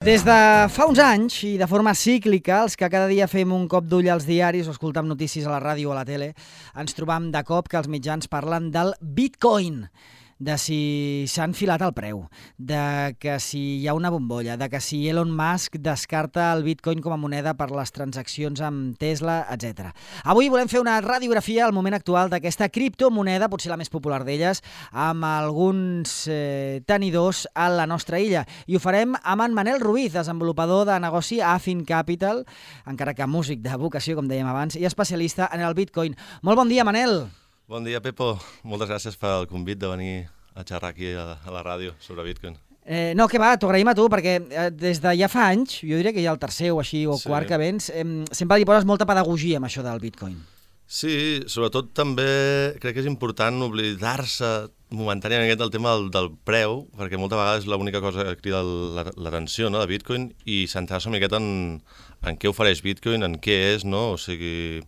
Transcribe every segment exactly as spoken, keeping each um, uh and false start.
Des de fa uns anys, i de forma cíclica, els que cada dia fem un cop d'ull als diaris o escoltam notícies a la ràdio o a la tele, ens trobam de cop que els mitjans parlen del Bitcoin, de si s'ha enfilat el preu, de que si hi ha una bombolla, de que si Elon Musk descarta el Bitcoin com a moneda per les transaccions amb Tesla, etcètera. Avui volem fer una radiografia al moment actual d'aquesta criptomoneda, potser la més popular d'elles, amb alguns eh, tenidors a la nostra illa. I ho farem amb en Manel Ruiz, desenvolupador de negoci a Affin Capital, encara que músic de vocació, com dèiem abans, i especialista en el Bitcoin. Molt bon dia, Manel! Bon dia, Pepo. Moltes gràcies pel convit de venir a xerrar aquí a, a la ràdio sobre Bitcoin. Eh, no, que va, t'ho agraïm a tu, perquè eh, des de ja fa anys, jo diria que ja el tercer o així, o Sí. quart que vens, eh, sempre hi poses molta pedagogia amb això del Bitcoin. Sí, sobretot també crec que és important oblidar-se momentàniament del tema del, del preu, perquè moltes vegades és l'única cosa que crida l'atenció, no, de Bitcoin, i centrar-se una miqueta en, en què ofereix Bitcoin, en què és, no? O sigui,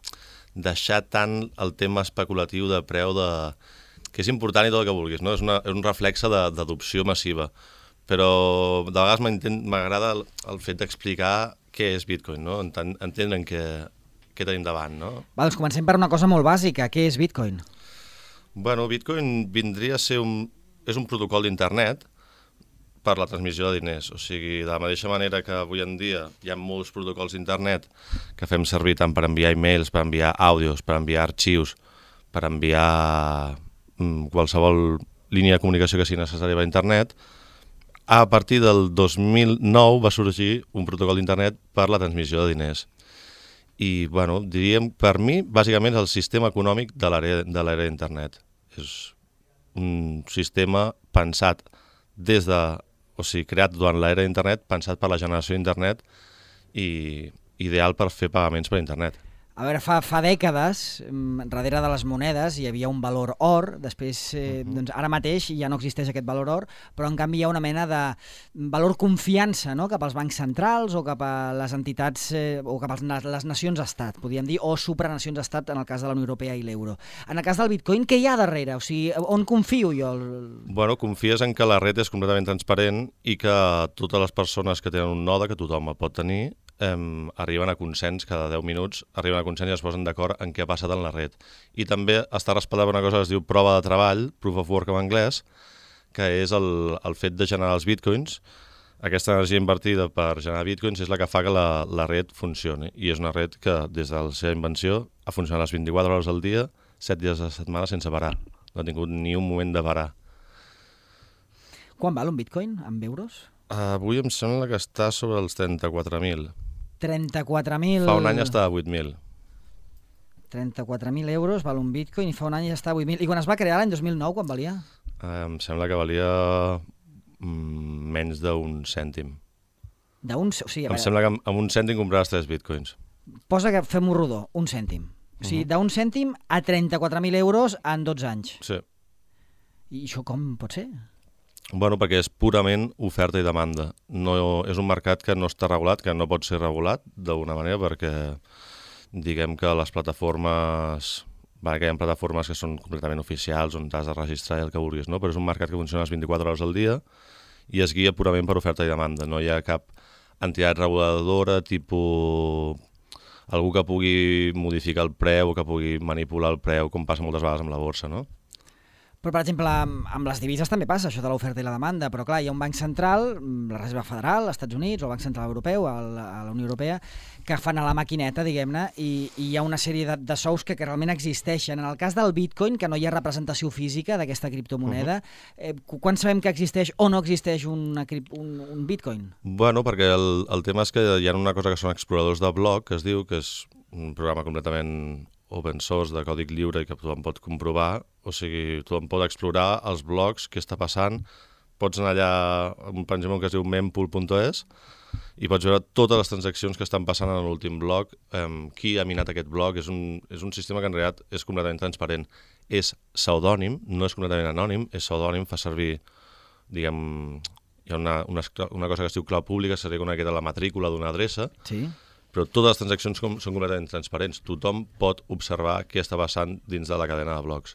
deixar tant el tema especulatiu de preu de... que és important i tot el que vulguis, no? És, una, és un reflexe d'adopció massiva, però de vegades m'agrada el, el fet d'explicar què és Bitcoin, no? Enten, entendre què, què tenim davant, no? Va, doncs comencem per una cosa molt bàsica. Què és Bitcoin? Bueno, Bitcoin vindria a ser un... és un protocol d'internet per la transmissió de diners. O sigui, de la mateixa manera que avui en dia hi ha molts protocols d'internet que fem servir tant per enviar e-mails, per enviar àudios, per enviar arxius, per enviar mm, qualsevol línia de comunicació que sigui necessària per internet, a partir del dos mil nou va sorgir un protocol d'internet per la transmissió de diners. I, bueno, diríem, per mi, bàsicament és el sistema econòmic de l'era de l'era d'internet. És un sistema pensat des de... o sigui, creat durant l'era d'internet, pensat per la generació d'internet i ideal per fer pagaments per internet. A veure, fa, fa dècades, darrere de les monedes hi havia un valor or, després, eh, Uh-huh. doncs ara mateix ja no existeix aquest valor or, però en canvi hi ha una mena de valor confiança, no?, cap als bancs centrals o cap a les entitats, eh, o cap a les nacions-estat, podríem dir, o supranacions-estat en el cas de la Unió Europea i l'euro. En el cas del Bitcoin, què hi ha darrere? O sigui, on confio jo? Bueno, confies en que la red és completament transparent i que totes les persones que tenen un node, que tothom el pot tenir, eh, arriben a consens cada deu minuts, arriben a consens i es posen d'acord en què ha passat en la red. I també està respaldada per una cosa que es diu prova de treball, proof of work en anglès, que és el, el fet de generar els bitcoins. Aquesta energia invertida per generar bitcoins és la que fa que la, la red funcioni. I és una red que, des de la seva invenció, ha funcionat les vint-i-quatre hores al dia, set dies a la setmana sense parar. No ha tingut ni un moment de parar. Quan val un bitcoin, en euros? Avui em sembla que està sobre els trenta-quatre mil. trenta-quatre mil... Fa un any estava a vuit mil. trenta-quatre mil euros val un bitcoin i fa un any ja està a vuit mil. I quan es va crear, l'any dos mil nou, quan valia? Eh, em sembla que valia mm, menys d'un cèntim. D'un... O sigui, a Em veure, sembla que amb, amb un cèntim compraves tres bitcoins. posa que fem-ho rodó, un cèntim. O sigui, Mhm. d'un cèntim a trenta-quatre mil euros en dotze anys. Sí. I això com pot ser? Bueno, perquè és purament oferta i demanda. No, és un mercat que no està regulat, que no pot ser regulat d'alguna manera, perquè diguem que les plataformes... Vale, que hi ha plataformes que són completament oficials, on t'has de registrar i el que vulguis, no? Però és un mercat que funciona les vint-i-quatre hores al dia i es guia purament per oferta i demanda. No hi ha cap entitat reguladora, tipus algú que pugui modificar el preu o que pugui manipular el preu, com passa moltes vegades amb la borsa, no? Però, per exemple, amb, amb les divises també passa això de l'oferta i la demanda, però clar, hi ha un banc central, la Reserva Federal, als Estats Units, o el Banc Central Europeu, a la, a la Unió Europea, que fan a la maquineta, diguem-ne, i, i hi ha una sèrie de, de sous que, que realment existeixen. En el cas del Bitcoin, que no hi ha representació física d'aquesta criptomoneda, uh-huh. eh, quan sabem que existeix o no existeix una, un, un Bitcoin? Bueno, perquè el, el tema és que hi ha una cosa que són exploradors de bloc, que es diu, que és un programa completament open source, de còdic lliure i que tothom pot comprovar, o sigui, tothom pot explorar els blocs, què està passant, pots anar allà, per exemple, que es diu mempool punt es, i pots veure totes les transaccions que estan passant en l'últim bloc, eh, qui ha minat aquest bloc, és un, és un sistema que en realitat és completament transparent. És pseudònim, no és completament anònim, és pseudònim, fa servir, diguem, hi ha una, una, una cosa que es diu clau pública, seria una miqueta la matrícula d'una adreça, Sí. però totes les transaccions com, són completament transparents. Tothom pot observar què està passant dins de la cadena de blocs.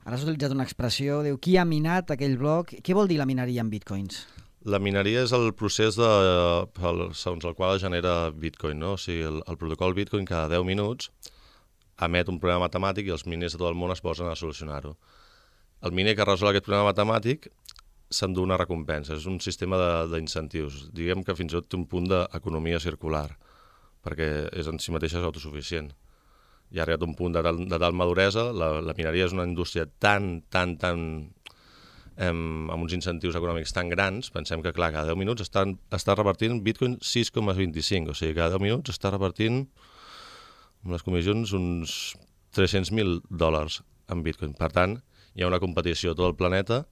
Ara has utilitzat una expressió, diu, qui ha minat aquell bloc? Què vol dir la mineria en bitcoins? La mineria és el procés de, el, segons el qual es genera Bitcoin, no? O sigui, el, el protocol Bitcoin cada deu minuts emet un problema matemàtic i els miners de tot el món es posen a solucionar-ho. El miner que resol aquest problema matemàtic s'endú una recompensa, és un sistema d'incentius. Diguem que fins i tot té un punt d'economia circular, perquè és en si mateixa és autosuficient. I ha arribat un punt de tal, de tal maduresa, la, la mineria és una indústria tan, tan, tan... Em, amb uns incentius econòmics tan grans, pensem que, clar, cada deu minuts estan, està repartint Bitcoin sis coma vint-i-cinc, o sigui, cada deu minuts està repartint, amb les comissions, uns tres-cents mil dòlars en Bitcoin. Per tant, hi ha una competició a tot el planeta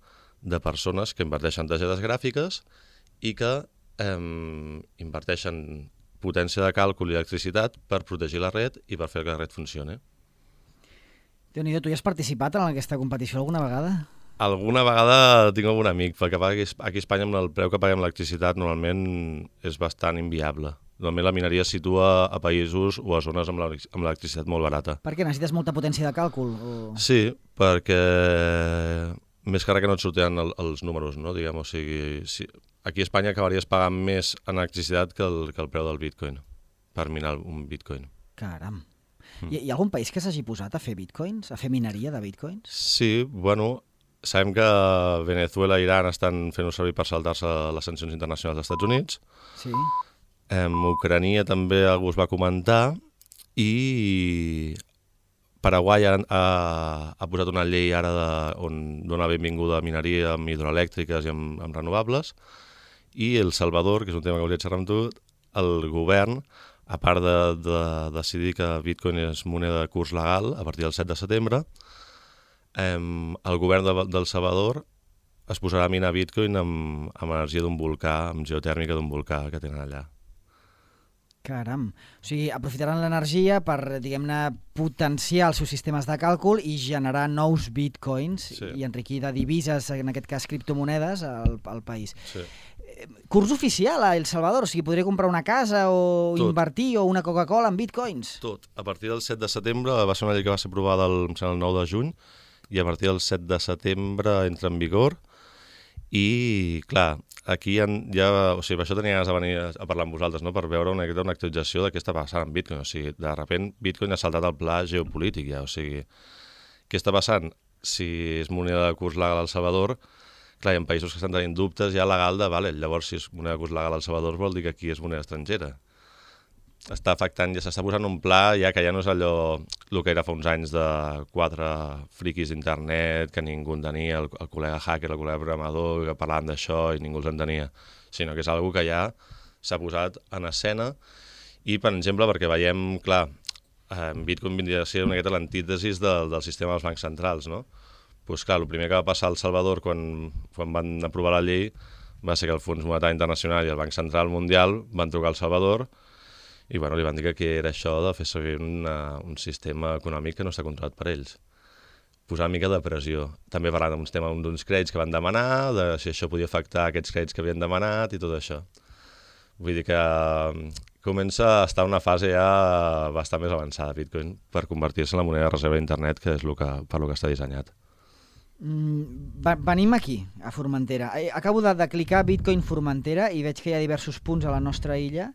de persones que inverteixen targetes gràfiques i que eh, inverteixen potència de càlcul i electricitat per protegir la red i per fer que la red funcioni. Déu-n'hi-do, tu hi has participat en aquesta competició alguna vegada? Alguna vegada tinc algun amic, perquè aquí a Espanya amb el preu que paguem l'electricitat normalment és bastant inviable. Normalment la mineria es situa a països o a zones amb l'electricitat molt barata. Per què? Necessites molta potència de càlcul? O... Sí, perquè més que res que no et sortiran el, els números, no? Diguem, o sigui, si... aquí a Espanya acabaries pagant més en electricitat que el, que el preu del Bitcoin, per minar un Bitcoin. Caram. Mm. Hi, hi ha algun país que s'hagi posat a fer Bitcoins, a fer mineria de Bitcoins? Sí, bueno... Sabem que Venezuela i Iran estan fent-ho servir per saltar-se les sancions internacionals dels Estats Units. Sí. En Ucrania també algú es va comentar i Paraguai ha, ha, ha posat una llei ara de, on dona benvinguda a mineria amb hidroelèctriques i amb, amb renovables, i El Salvador, que és un tema que volia xerrar amb tu, el govern, a part de, de decidir que Bitcoin és moneda de curs legal a partir del set de setembre, Um, el govern de, del Salvador es posarà a minar Bitcoin amb, amb energia d'un volcà, amb geotèrmica d'un volcà que tenen allà. Caram. O sigui, aprofitaran l'energia per, diguem-ne, potenciar els seus sistemes de càlcul i generar nous Bitcoins sí. i enriquir de divises, en aquest cas criptomonedes, al, al país. Sí. Curs oficial a El Salvador, o sigui, podria comprar una casa o Tot. invertir o una Coca-Cola en Bitcoins? Tot. A partir del set de setembre va ser una llei que va ser aprovada el, el nou de juny, i a partir del set de setembre entra en vigor i, clar, aquí ja, ja o sigui, per això tenia ganes de venir a parlar amb vosaltres, no? Per veure una, una actualització de què està passant amb Bitcoin. O sigui, de sobte Bitcoin ha saltat al pla geopolític ja, o sigui, què està passant? Si és moneda de curs legal al Salvador, clar, hi ha països que estan tenint dubtes ja legal de, vale, llavors si és moneda de curs legal al Salvador vol dir que aquí és moneda estrangera. Està afectant, ja s'està posant un pla ja que ja no és allò el que era fa uns anys de quatre friquis d'internet que ningú entenia, el, el col·lega hacker, el col·lega programador, que parlaven d'això i ningú els entenia, sinó que és algo que ja s'ha posat en escena i, per exemple, perquè veiem, clar, en Bitcoin vindria a ser una miqueta l'antítesis del, del sistema dels bancs centrals, no? Doncs clar, el primer que va passar al Salvador quan, quan van aprovar la llei va ser que el Fons Monetari Internacional i el Banc Central Mundial van trucar al Salvador i bueno, li van dir que era això de fer servir una, un sistema econòmic que no està controlat per ells. Posar una mica de pressió. També parlant d'uns temes d'uns crèdits que van demanar, de si això podia afectar aquests crèdits que havien demanat i tot això. Vull dir que comença a estar en una fase ja bastant més avançada Bitcoin per convertir-se en la moneda de reserva d'internet, que és el que, per lo que està dissenyat. Mm, venim aquí, a Formentera. Acabo de, de clicar Bitcoin Formentera i veig que hi ha diversos punts a la nostra illa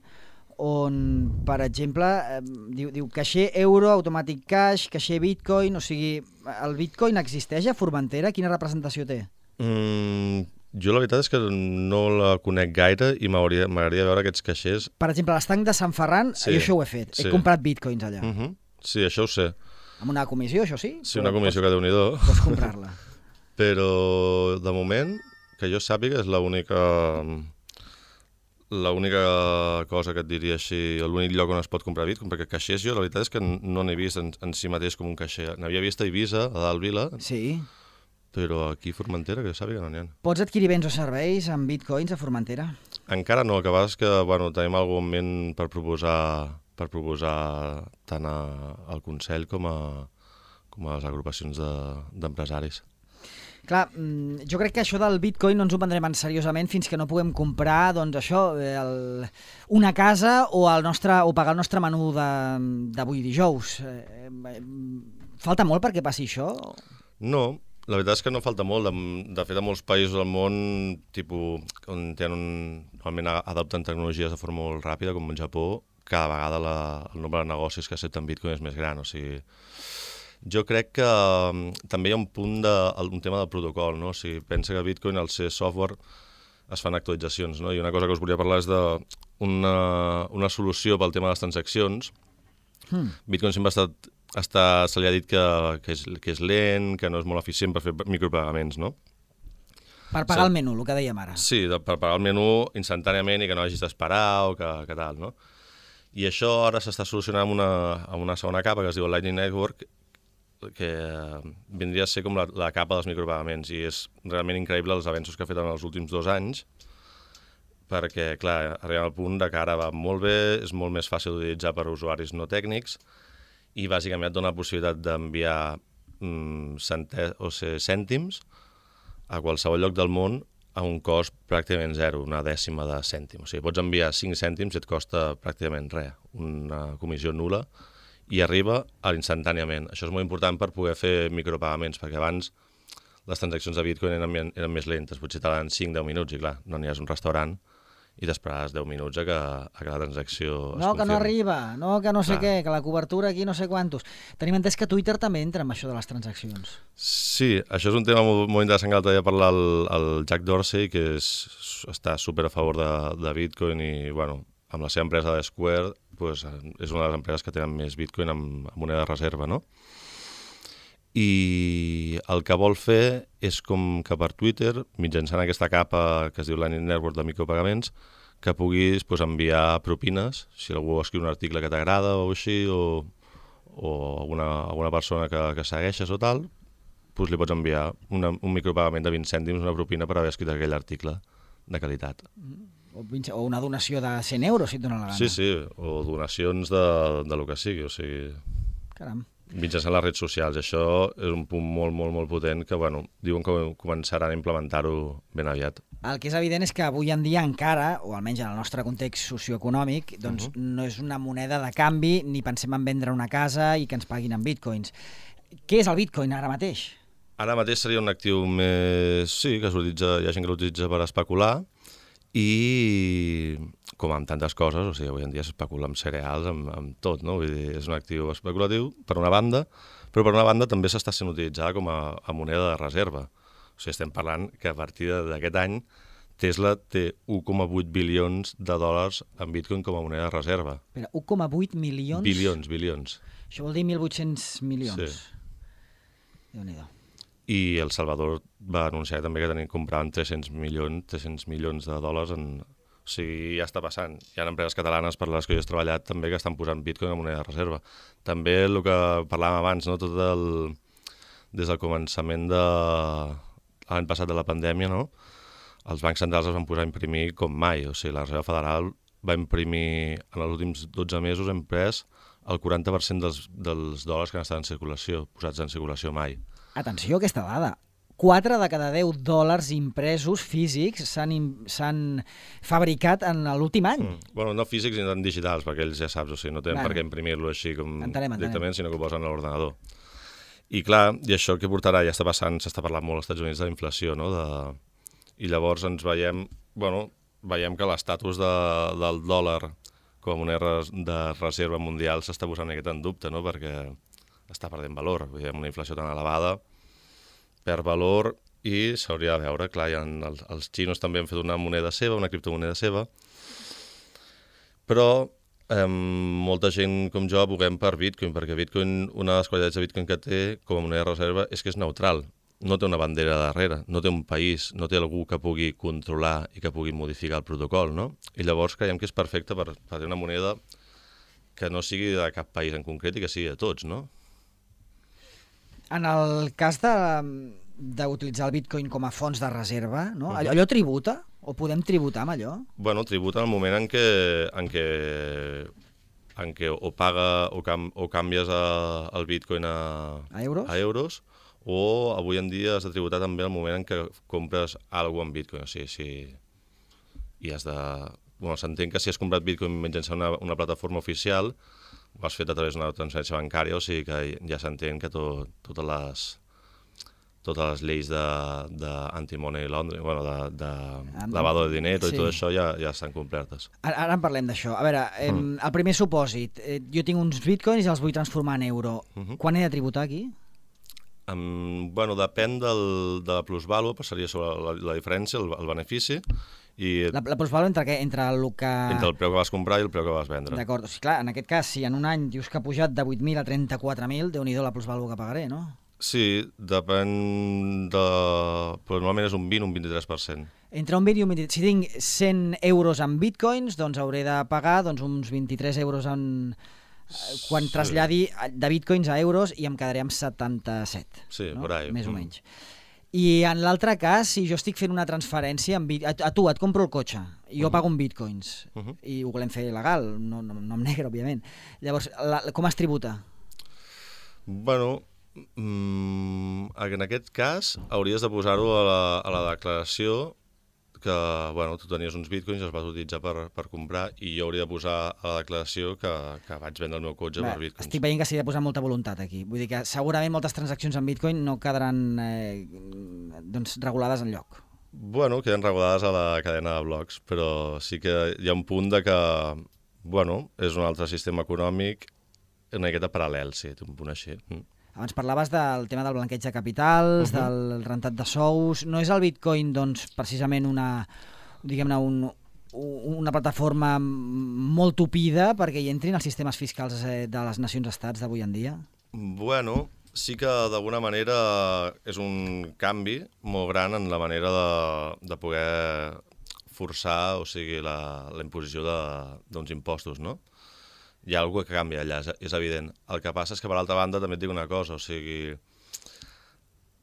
on, per exemple, eh, diu, diu caixer euro, automàtic cash, caixer bitcoin, o sigui, el bitcoin existeix a Formentera? Quina representació té? Mm, jo la veritat és que no la conec gaire i m'agradaria veure aquests caixers. Per exemple, a l'estanc de Sant Ferran, sí, jo això ho he fet, sí. He comprat bitcoins allà. Uh-huh. Sí, això ho sé. Amb una comissió, això sí? Sí, una comissió pots, que déu-n'hi-do. Pots comprar-la. Però, de moment, que jo sàpiga, és l'única... l'única cosa que et diria així, l'únic lloc on es pot comprar Bitcoin, perquè caixers jo la veritat és que no n'he vist en, en si mateix com un caixer. N'havia vist a Eivissa, a dalt Vila, sí. Però aquí a Formentera, que jo sàpiga, no n'hi ha. Pots adquirir béns o serveis amb bitcoins a Formentera? Encara no, que vas que bueno, tenim algun moment per proposar, per proposar tant a, al Consell com a, com a les agrupacions d'empresaris. De, Clar, jo crec que això del bitcoin no ens ho prendrem en seriosament fins que no puguem comprar, doncs això, el, una casa o, el nostre, o pagar el nostre menú d'avui dijous. Falta molt perquè passi això? No, La veritat és que no falta molt. De, de fet, a molts països del món, tipus, on tenen un, normalment adopten tecnologies de forma molt ràpida, com el Japó, cada vegada la, el nombre de negocis que accepten Bitcoin és més gran. O sigui, jo crec que um, també hi ha un punt de, un tema del protocol, no? O sigui, pensa que Bitcoin, al ser software, es fan actualitzacions, no? I una cosa que us volia parlar és d'una una solució pel tema de les transaccions. Hmm. Bitcoin sempre ha estat Està, se li ha dit que, que, és, que és lent, que no és molt eficient per fer micropagaments, no? Per pagar sí. el menú, el que dèiem ara. Sí, de, per pagar el menú instantàniament i que no hagis d'esperar o que, que tal, no? I això ara s'està solucionant amb una, amb una segona capa que es diu Lightning Network, que vindria a ser com la, la capa dels micropagaments, i és realment increïble els avenços que ha fet en els últims dos anys, perquè, clar, arribem al punt de que ara va molt bé, és molt més fàcil d'utilitzar per a usuaris no tècnics, i bàsicament et dona la possibilitat d'enviar mm, centè, o sigui, cèntims a qualsevol lloc del món a un cost pràcticament zero, una dècima de cèntim. O sigui, pots enviar cinc cèntims i et costa pràcticament res, una comissió nul·la, i arriba instantàniament. Això és molt important per poder fer micropagaments, perquè abans les transaccions de Bitcoin eren, eren més lentes, potser tardaven cinc a deu minuts, i clar, no aniràs a un restaurant i t'esperaràs deu minuts a que, a que la transacció es confirmi. No, que no arriba, no, que no sé Clar. què, que la cobertura aquí no sé quantos. Tenim entès que Twitter també entra en això de les transaccions. Sí, això és un tema molt, molt interessant que l'altre dia parlar el, el Jack Dorsey, que és, està super a favor de, de Bitcoin i, bueno, amb la seva empresa de Square, pues, és una de les empreses que tenen més Bitcoin amb, amb moneda de reserva, no? I el que vol fer és com que per Twitter, mitjançant aquesta capa que es diu Lightning Network de micropagaments, que puguis pues, enviar propines, si algú escriu un article que t'agrada o així, o, o alguna, alguna persona que, que segueixes o tal, pues, li pots enviar una, un micropagament de vint cèntims, una propina per haver escrit aquell article de qualitat. O, o una donació de cent euros, si et dona la gana. Sí, sí, o donacions de, de lo que sigui, o sigui... Caram. Mitjançant les redes socials. Això és un punt molt, molt, molt potent que, bueno, diuen que començaran a implementar-ho ben aviat. El que és evident és que avui en dia encara, o almenys en el nostre context socioeconòmic, doncs uh-huh. no és una moneda de canvi ni pensem en vendre una casa i que ens paguin en bitcoins. Què és el bitcoin ara mateix? Ara mateix seria un actiu més... Sí, que s'utilitza, hi ha gent que l'utilitza per especular i com amb tantes coses, o sigui, avui en dia s'especula amb cereals, amb, amb tot, no? Vull dir, és un actiu especulatiu per una banda, però per una banda també s'està sent utilitzada com a, a moneda de reserva. O sigui, estem parlant que a partir d'aquest any Tesla té un coma vuit bilions de dòlars en Bitcoin com a moneda de reserva. Espera, un coma vuit milions? Bilions, bilions. Això vol dir mil vuit-cents milions. Sí. Déu-n'hi-do. I El Salvador va anunciar també que tenien compraven tres-cents milions, tres-cents milions de dòlars en... O sigui, ja està passant. Hi ha empreses catalanes per les que jo he treballat també que estan posant Bitcoin a moneda de reserva. També el que parlàvem abans, no? Tot el... des del començament de l'any passat de la pandèmia, no? Els bancs centrals es van posar a imprimir com mai. O sigui, la Reserva Federal va imprimir en els últims dotze mesos, ha imprès el quaranta per cent dels, dels dòlars que han estat en circulació, posats en circulació mai. Atenció a aquesta dada. quatre de cada deu dòlars impresos físics s'han fabricat en l'últim any. Mm. Bueno, no físics ni tan digitals, perquè ells ja saps, o sigui, no tenen bueno. per què imprimir-lo així com entenem, directament, entenem. sinó que ho posen a l'ordenador. I clar, i això que portarà, ja està passant, s'està parlant molt als Estats Units de la inflació, no? De... I llavors ens veiem, bueno, veiem que l'estatus de, del dòlar com a moneda de reserva mundial s'està posant aquest en dubte, no? Perquè està perdent valor. Veiem una inflació tan elevada, perd valor i s'hauria de veure, clar, ja els, els xinos també han fet una moneda seva, una criptomoneda seva, però eh, molta gent com jo aboguem per Bitcoin, perquè Bitcoin, una de les qualitats de Bitcoin que té com a moneda de reserva és que és neutral, no té una bandera darrere, no té un país, no té algú que pugui controlar i que pugui modificar el protocol, no? I llavors creiem que és perfecte per, per tenir una moneda que no sigui de cap país en concret i que sigui de tots, no? En el cas d'utilitzar el bitcoin com a fons de reserva, no? allò, allò tributa? O podem tributar amb allò? Bueno, tributa en el moment en què, en què, en què o, paga, o, cam, o canvies a, el bitcoin a, a, euros? a euros, o avui en dia has de tributar també el moment en què compres alguna cosa en bitcoin. O sigui, si, i has de... Bueno, s'entén que si has comprat bitcoin mitjançant una, una plataforma oficial, ho has fet a través d'una transferència bancària, o sigui que ja s'entén que to, totes les totes les lleis d'anti-money laundering, bueno, de, de Amb- lavado de dinero sí. i tot això ja, ja estan complertes. Ara, ara en parlem d'això. A veure, eh, Mm. el primer supòsit, eh, jo tinc uns bitcoins i els vull transformar en euro. Mhm. Quan he de tributar aquí? Um, bueno, depèn del, de la plusvàlua, passaria sobre la, la diferència, el, el benefici, i La, la plusvàlua entre què? Entre el que... entre el preu que vas comprar i el preu que vas vendre. D'acord, o sigui, clar, en aquest cas, si en un any dius que ha pujat de vuit mil a trenta-quatre mil, déu-n'hi-do la plusvàlua que pagaré, no? Sí, depèn de... Però normalment és un vint, un vint-i-tres per cent. Entre un vint i un vint... Si tinc cent euros en bitcoins, doncs hauré de pagar doncs, uns vint-i-tres euros en... quan Sí. traslladi de bitcoins a euros i em quedaré amb setanta-set. Sí, no? por ahí. Més o Mm. menys. I en l'altre cas, si jo estic fent una transferència, en bit... a, a tu et compro el cotxe, i jo Mhm. pago en bitcoins, Mhm. i ho volem fer legal, no, no, no em negre, òbviament. Llavors, la, com es tributa? Bueno, mm, en aquest cas hauries de posar-ho a, la, a la declaració que, bueno, tu tenies uns bitcoins i els vas utilitzar per, per comprar i jo hauria de posar a la declaració que, que vaig vendre el meu cotxe Bé, per bitcoins. estic veient que s'hi ha de posar molta voluntat aquí. Vull dir que segurament moltes transaccions en bitcoin no quedaran eh, doncs, regulades en lloc. Bueno, queden regulades a la cadena de blocs, però sí que hi ha un punt de que, bueno, és un altre sistema econòmic una miqueta paral·lel, sí, té un punt així. Mm. Abans parlaves del tema del blanqueig de capitals, uh -huh. del rentat de sous. No és el bitcoin, doncs, precisament una, diguem-ne, un, una plataforma molt tupida perquè hi entrin els sistemes fiscals de les nacions-estats d'avui en dia? Bueno, sí que d'alguna manera és un canvi molt gran en la manera de, de poder forçar, o sigui, la, la imposició d'uns impostos, no? Hi ha alguna cosa que canvia allà, és, és evident. El que passa és que, per l'altra banda, també et dic una cosa, o sigui,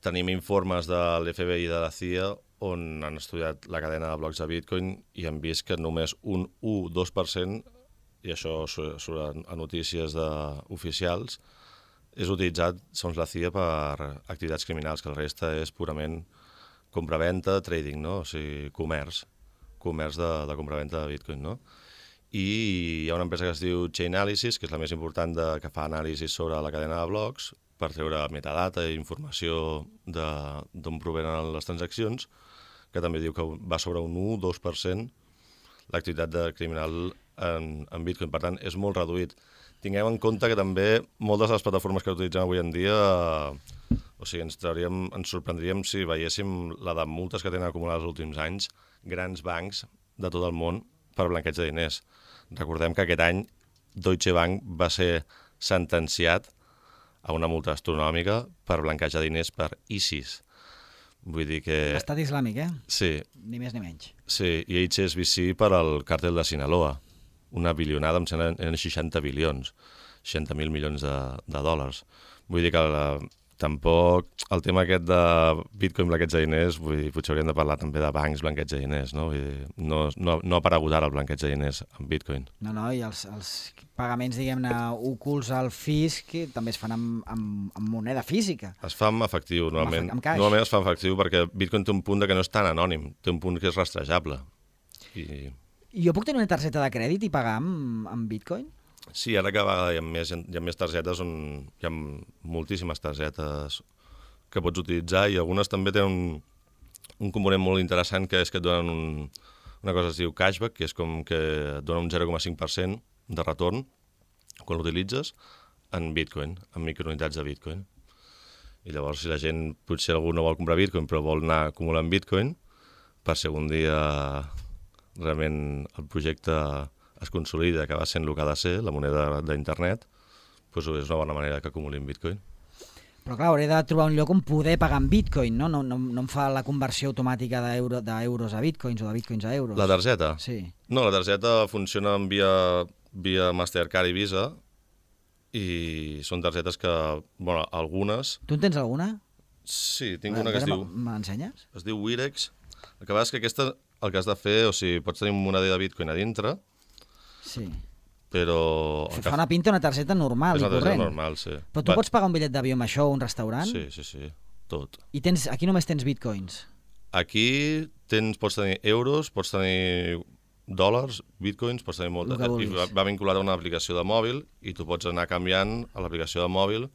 tenim informes de l'F B I i de la C I A on han estudiat la cadena de blocs de Bitcoin i han vist que només un u dos per cent, i això surt a notícies de, oficials, és utilitzat, segons la C I A, per activitats criminals, que el resta és purament compra-venta, trading, no? O sigui, comerç, comerç de, de compra-venta de Bitcoin, no? I hi ha una empresa que es diu Chainalysis, que és la més important de, que fa anàlisis sobre la cadena de blocs per treure metadata i informació d'on provenen les transaccions, que també diu que va sobre un u dos per cent l'activitat de criminal en, en Bitcoin. Per tant, és molt reduït. Tinguem en compte que també moltes de les plataformes que utilitzem avui en dia, eh, o sigui, ens, trauríem, ens sorprendríem si veiéssim la de multes que tenen acumulades els últims anys, grans bancs de tot el món per blanqueig de diners. Recordem que aquest any Deutsche Bank va ser sentenciat a una multa astronòmica per blanqueig de diners per ISIS. Vull dir que... Estat islàmic, eh? Sí. Ni més ni menys. Sí, i H S B C per al càrtel de Sinaloa. Una bilionada, em sembla, eren seixanta bilions, seixanta mil milions de, de dòlars. Vull dir que la, tampoc el tema aquest de Bitcoin blanqueig de diners, vull dir, potser hauríem de parlar també de bancs blanqueig de diners, no? Vull dir, no, no, no ha aparegut ara el blanqueig de diners en Bitcoin. No, no, i els, els pagaments, diguem-ne, ocults al fisc també es fan amb, amb, amb moneda física. Es fa amb efectiu, normalment. Amb cash. Normalment es fa amb efectiu perquè Bitcoin té un punt de que no és tan anònim, té un punt que és rastrejable. I... I jo puc tenir una targeta de crèdit i pagar amb, amb Bitcoin? Sí, ara que hi ha més, hi ha més targetes, on hi ha moltíssimes targetes que pots utilitzar i algunes també tenen un, un component molt interessant que és que et donen un, una cosa que es diu cashback, que és com que et dona un zero coma cinc per cent de retorn quan l'utilitzes en Bitcoin, en microunitats de Bitcoin. I llavors, si la gent, potser algú no vol comprar Bitcoin però vol anar acumulant Bitcoin, per si algun dia realment el projecte es consolida, que va sent el que ha de ser, la moneda d'internet, doncs és una bona manera que acumulin Bitcoin. Però clar, hauré de trobar un lloc on poder pagar en Bitcoin, no? No, no, no em fa la conversió automàtica d'euro, d'euros a Bitcoins o de Bitcoins a euros. La targeta? Sí. No, la targeta funciona via, via Mastercard i Visa i són targetes que, bueno, algunes... Tu en tens alguna? Sí, tinc A una que es veure, diu... Me l'ensenyes? Es diu Wirex. El que passa és que aquesta, el que has de fer, o sigui, pots tenir una moneda de Bitcoin a dintre, Sí. però... Fa una pinta una targeta normal és i una targeta corrent. normal, sí. Però tu Va- pots pagar un bitllet d'avió amb això o un restaurant? Sí, sí, sí, tot. I tens, aquí només tens bitcoins. Aquí tens, pots tenir euros, pots tenir dòlars, bitcoins, pots tenir molt... El que I vulguis. va, va vinculat a una aplicació de mòbil i tu pots anar canviant a l'aplicació de mòbil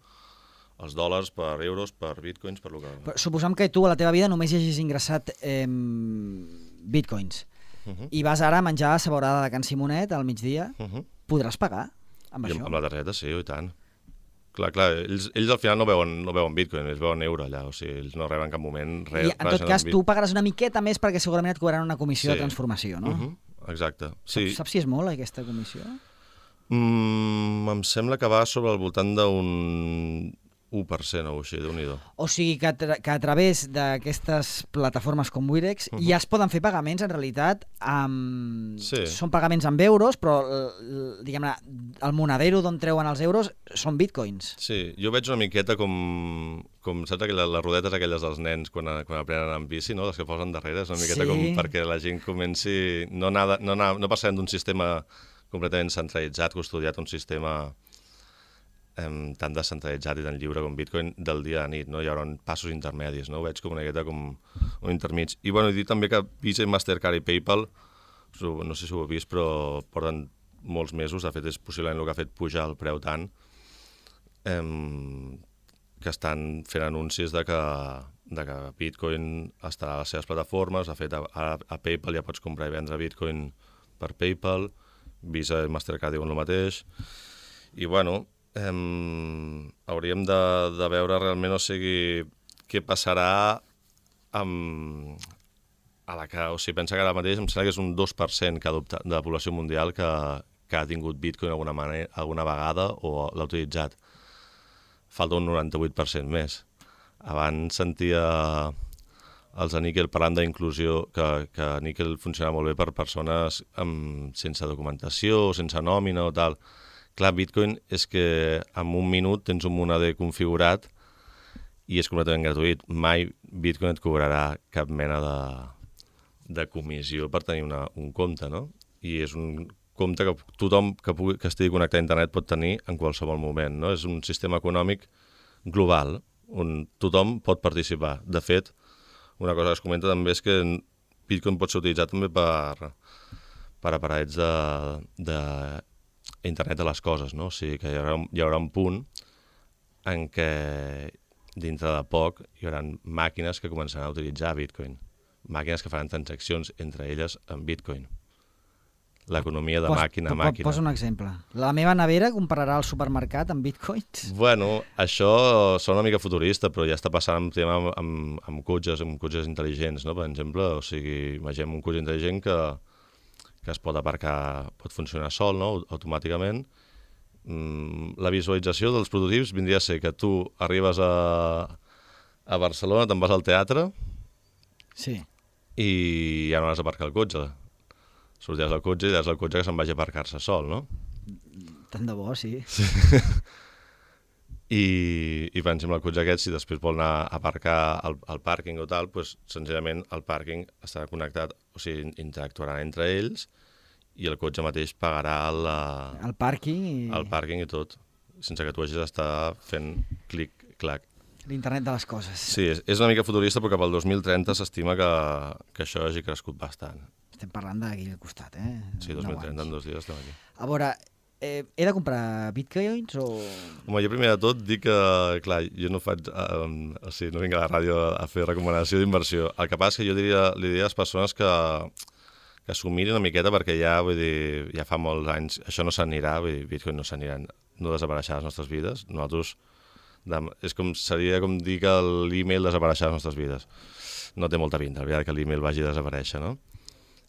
els dòlars per euros, per bitcoins, per lo que... Però suposem que tu a la teva vida només hi hagis ingressat eh, bitcoins uh -huh. i vas ara a menjar a Saborada de Can Simonet al migdia, uh -huh. podràs pagar amb I això? amb la targeta, sí, i tant. Clar, clar, ells, ells al final no veuen, no veuen bitcoin, ells veuen euro allà, o sigui, ells no reben en cap moment res. I en tot cas tu pagaràs una miqueta més perquè segurament et cobraran una comissió sí. de transformació, no? Uh -huh. Exacte. Sí. Saps, saps si és molt aquesta comissió? Mm, em sembla que va sobre el voltant d'un u per cent o així, déu-n'hi-do. O sigui que a, tra que a través d'aquestes plataformes com Wirex uh -huh. ja es poden fer pagaments, en realitat, amb... sí. són pagaments amb euros, però diguem-ne, el monedero d'on treuen els euros són bitcoins. Sí, jo veig una miqueta com, com saps, aquelles, les rodetes aquelles dels nens quan, quan aprenen amb bici, no? Les que posen darrere, és una miqueta sí. com perquè la gent comenci... No, anar, no, anar, no passem d'un sistema completament centralitzat, custodiat, un sistema eh, tan descentralitzat i tan lliure com Bitcoin del dia a nit, no? Hi haurà passos intermedis, no? Ho veig com una miqueta com un intermig. I bueno, dir també que Visa, Mastercard i PayPal, no sé si ho heu vist, però porten molts mesos, de fet és possiblement el que ha fet pujar el preu tant, eh, que estan fent anuncis de que, de que Bitcoin estarà a les seves plataformes. De fet, a, a PayPal ja pots comprar i vendre Bitcoin per PayPal, Visa i Mastercard diuen el mateix, i bueno, eh, hauríem de, de veure realment, o sigui, què passarà amb... a la que, o sigui, pensa que ara mateix em sembla que és un dos per cent que adopta, de la població mundial que, que ha tingut Bitcoin alguna, manera, alguna vegada o l'ha utilitzat. Falta un noranta-vuit per cent més. Abans sentia els de Nickel parlant d'inclusió, que, que Nickel funciona molt bé per persones amb, sense documentació, sense nòmina o tal. Clar, Bitcoin és que en un minut tens un moneder configurat i és completament gratuït. Mai Bitcoin et cobrarà cap mena de, de comissió per tenir una, un compte, no? I és un compte que tothom que, pugui, que estigui connectat a internet pot tenir en qualsevol moment, no? És un sistema econòmic global on tothom pot participar. De fet, una cosa que es comenta també és que Bitcoin pot ser utilitzat també per, per aparells de, de internet de les coses, no? O sigui que hi haurà, hi haurà un punt en què dintre de poc hi haurà màquines que començaran a utilitzar Bitcoin. Màquines que faran transaccions entre elles en Bitcoin. L'economia de Pos, màquina a màquina. Posa un exemple. La meva nevera comprarà al supermercat amb bitcoins? Bueno, això sona una mica futurista, però ja està passant amb tema amb, amb, amb cotxes, amb cotxes intel·ligents, no? Per exemple, o sigui, imaginem un cotxe intel·ligent que, que es pot aparcar, pot funcionar sol, no? Automàticament. Mm, la visualització dels prototips vindria a ser que tu arribes a, a Barcelona, te'n vas al teatre sí. i ja no has d'aparcar el cotxe. Sortiràs del cotxe i diràs al cotxe que se'n vagi a aparcar-se sol, no? Tant de bo, sí. sí. I, I per exemple, el cotxe aquest, si després vol anar a aparcar al, al pàrquing o tal, doncs senzillament el pàrquing estarà connectat, o sigui, interactuaran entre ells i el cotxe mateix pagarà la, el pàrquing i... el pàrquing i tot, sense que tu hagis d'estar fent clic-clac. L'internet de les coses. Sí, és, és una mica futurista, però cap al dos mil trenta s'estima que, que això hagi crescut bastant. Estem parlant d'aquí al costat, eh? Sí, dos mil trenta, en dos dies estem aquí. A veure, eh, he de comprar bitcoins o...? Home, jo primer de tot dic que, clar, jo no faig, um, o sigui, no vinc a la ràdio a fer recomanació d'inversió. El que passa és que jo diria, li diria a les persones que, que s'ho mirin una miqueta perquè ja, vull dir, ja fa molts anys, això no s'anirà, vull dir, bitcoin no s'anirà, no desapareixerà a les nostres vides. Nosaltres, és com, seria com dir que l'e-mail desapareixerà a les nostres vides. No té molta pinta, la veritat, que l'e-mail vagi a desaparèixer, no?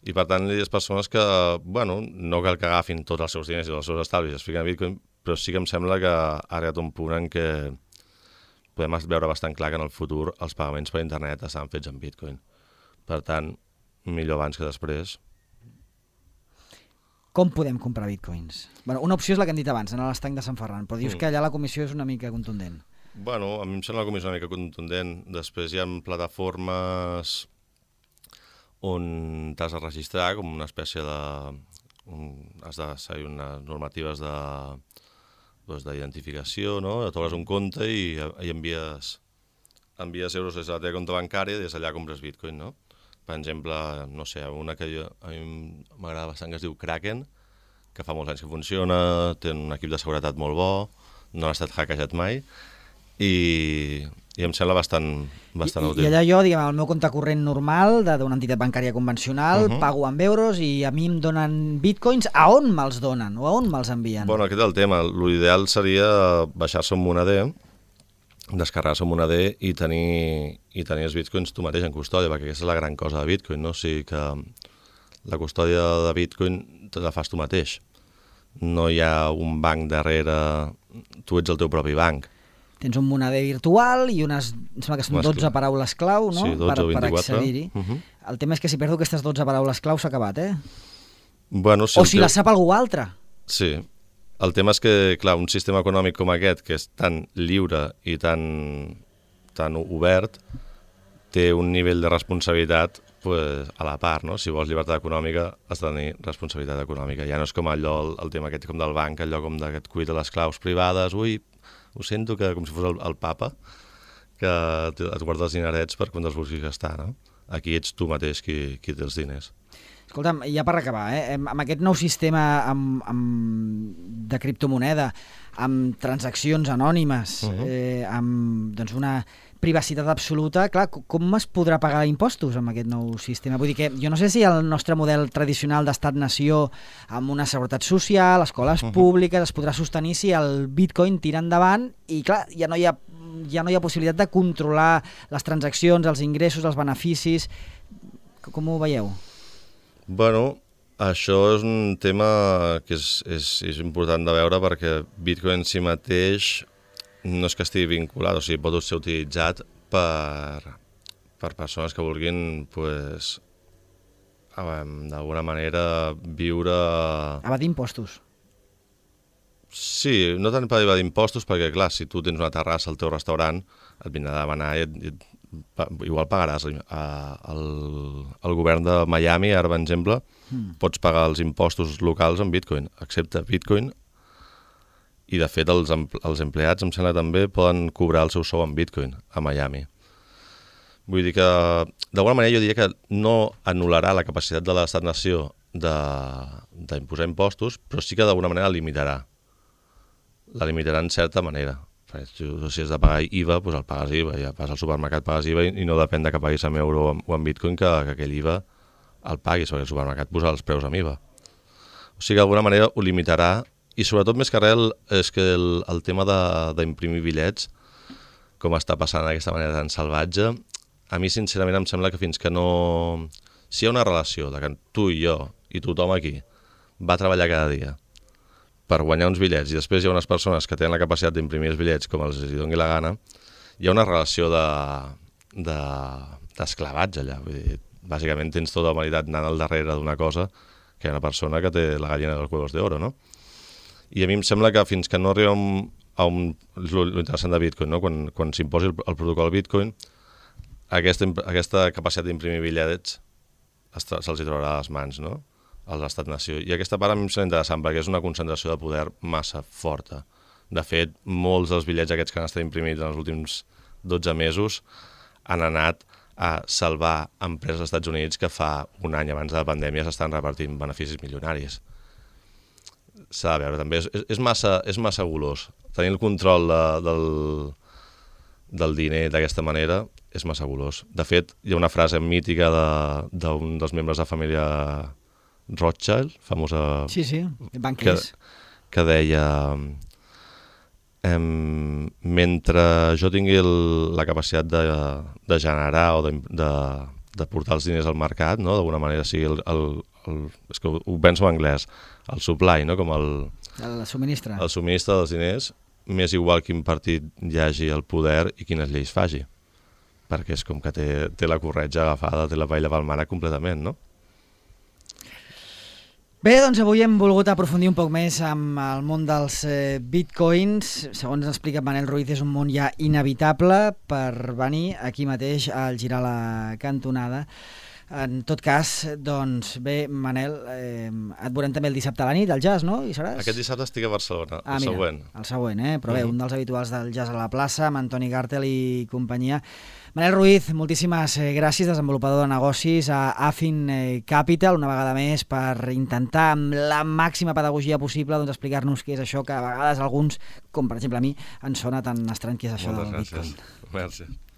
I per tant, hi ha persones que, bueno, no cal que agafin tots els seus diners i els seus estalvis i es fiquen a Bitcoin, però sí que em sembla que ha arribat un punt en què podem veure bastant clar que en el futur els pagaments per internet estaran fets en Bitcoin. Per tant, millor abans que després. Com podem comprar bitcoins? Bueno, una opció és la que hem dit abans, anar a l'estanc de Sant Ferran, però dius mm. que allà la comissió és una mica contundent. Bueno, a mi em sembla la comissió una mica contundent. Després hi ha plataformes on t'has de registrar com una espècie de... Un, has de seguir unes normatives de doncs, d'identificació, no? T'obres un compte i, i envies, envies euros des de la teva compte bancària i des d'allà compres bitcoin, no? Per exemple, no sé, una que jo, a mi m'agrada bastant que es diu Kraken, que fa molts anys que funciona, té un equip de seguretat molt bo, no ha estat hackejat mai, i, i em sembla bastant, bastant I, útil. I allà jo, diguem, el meu compte corrent normal d'una entitat bancària convencional, uh-huh. pago amb euros i a mi em donen bitcoins. A on me'ls donen o a on me'ls envien? Bueno, aquest és el tema. L'ideal seria baixar-se un Moneder, descarregar-se un Moneder i tenir, i tenir els bitcoins tu mateix en custòdia, perquè aquesta és la gran cosa de Bitcoin, no? O sigui que la custòdia de Bitcoin te la fas tu mateix. No hi ha un banc darrere, tu ets el teu propi banc. Tens un Moneder virtual i unes, em sembla que són dotze paraules clau, no? Sí, dotze o per vint-i-quatre. per accedir-hi. Uh-huh. El tema és que si perdo aquestes dotze paraules clau s'ha acabat, eh? Bueno, si o si teu... la sap algú altre. Sí. El tema és que, clar, un sistema econòmic com aquest, que és tan lliure i tan, tan obert, té un nivell de responsabilitat pues, a la part, no? Si vols llibertat econòmica, has de tenir responsabilitat econòmica. Ja no és com allò, el, el tema aquest com del banc, allò com de que et cuida les claus privades, ui, ho sento, que com si fos el, el papa, que et guarda els dinerets per quan els vulguis gastar, no? Aquí ets tu mateix qui, qui té els diners. Escolta'm, ja per acabar, eh? amb aquest nou sistema amb, amb, de criptomoneda, amb transaccions anònimes, uh-huh. eh, amb doncs, una privacitat absoluta, clar, com es podrà pagar impostos amb aquest nou sistema? Vull dir que jo no sé si el nostre model tradicional d'estat-nació amb una seguretat social, escoles uh-huh. públiques, es podrà sostenir si el bitcoin tira endavant i clar, ja no hi ha, ja no hi ha possibilitat de controlar les transaccions, els ingressos, els beneficis. Com ho veieu? Bueno, això és un tema que és, és, és important de veure perquè Bitcoin en si mateix no és que estigui vinculat, o sigui, pot ser utilitzat per, per persones que vulguin, pues, d'alguna manera, viure... Evadir impostos. Sí, no tant per evadir impostos, perquè, clar, si tu tens una terrassa al teu restaurant, et vindrà a demanar i et, et, igual pagaràs al, al govern de Miami, ara per exemple, mm. pots pagar els impostos locals en Bitcoin, excepte Bitcoin, i de fet els, els empleats, em sembla també, poden cobrar el seu sou en Bitcoin a Miami. Vull dir que, d'alguna manera, jo diria que no anul·larà la capacitat de l'estat-nació d'imposar impostos, però sí que d'alguna manera la limitarà. La limitarà en certa manera. Si has de pagar I V A, doncs el pagues I V A, ja vas al supermercat, pagues I V A i no depèn de que paguis en euro o en Bitcoin que, que aquell I V A el paguis, perquè el supermercat posa els preus amb I V A. O sigui que d'alguna manera ho limitarà. I sobretot més que res és que el, el tema d'imprimir bitllets, com està passant d'aquesta manera tan salvatge, a mi sincerament em sembla que fins que no... Si hi ha una relació de que tu i jo i tothom aquí va treballar cada dia per guanyar uns bitllets i després hi ha unes persones que tenen la capacitat d'imprimir els bitllets com els hi doni la gana, hi ha una relació d'esclavatge de, de, allà. Vull dir, bàsicament tens tota la humanitat anant al darrere d'una cosa que hi ha una persona que té la gallina dels huevos d'oro, no? I a mi em sembla que fins que no arribem a un... L'interessant de Bitcoin, no? Quan, quan s'imposi el, el protocol Bitcoin, aquesta, aquesta capacitat d'imprimir bitllets se'ls hi trobarà a les mans, no? A l'estat-nació. I aquesta part a mi em sembla interessant perquè és una concentració de poder massa forta. De fet, molts dels bitllets aquests que han estat imprimits en els últims dotze mesos han anat a salvar empreses dels Estats Units que fa un any abans de la pandèmia s'estan repartint beneficis milionaris. S'ha de veure, també. És, és, massa, és massa golós. Tenir el control de, del, del diner d'aquesta manera és massa golós. De fet, hi ha una frase mítica d'un de, dels membres de la família Rothschild, famosa... Sí, sí, banquers. Que, que deia... Em, mentre jo tingui el, la capacitat de, de generar o de, de, de portar els diners al mercat, no? D'alguna manera sigui el, el, el, és que ho, ho penso en anglès, el supply, no? Com el, el subministre. El subministre dels diners, m'és igual quin partit hi hagi el poder i quines lleis faci, perquè és com que té, té la corretja agafada, té la paella pel mànec completament, no? Bé, doncs avui hem volgut aprofundir un poc més amb el món dels eh, bitcoins. Segons ens explica Manel Ruiz, és un món ja inevitable per venir aquí mateix al girar la cantonada. En tot cas, doncs bé, Manel, eh, et veurem també el dissabte a la nit, al jazz, no? Hi seràs? Aquest dissabte estic a Barcelona, ah, el mira, següent. El següent, eh? Però bé, uh -huh. un dels habituals del jazz a la plaça, amb Antoni Gàrtel i companyia. Manel Ruiz, moltíssimes gràcies, desenvolupador de negocis a Affin Capital, una vegada més per intentar amb la màxima pedagogia possible doncs, explicar-nos què és això que a vegades alguns, com per exemple a mi, ens sona tan estrany que és això Moltes del gràcies. Bitcoin. Merci.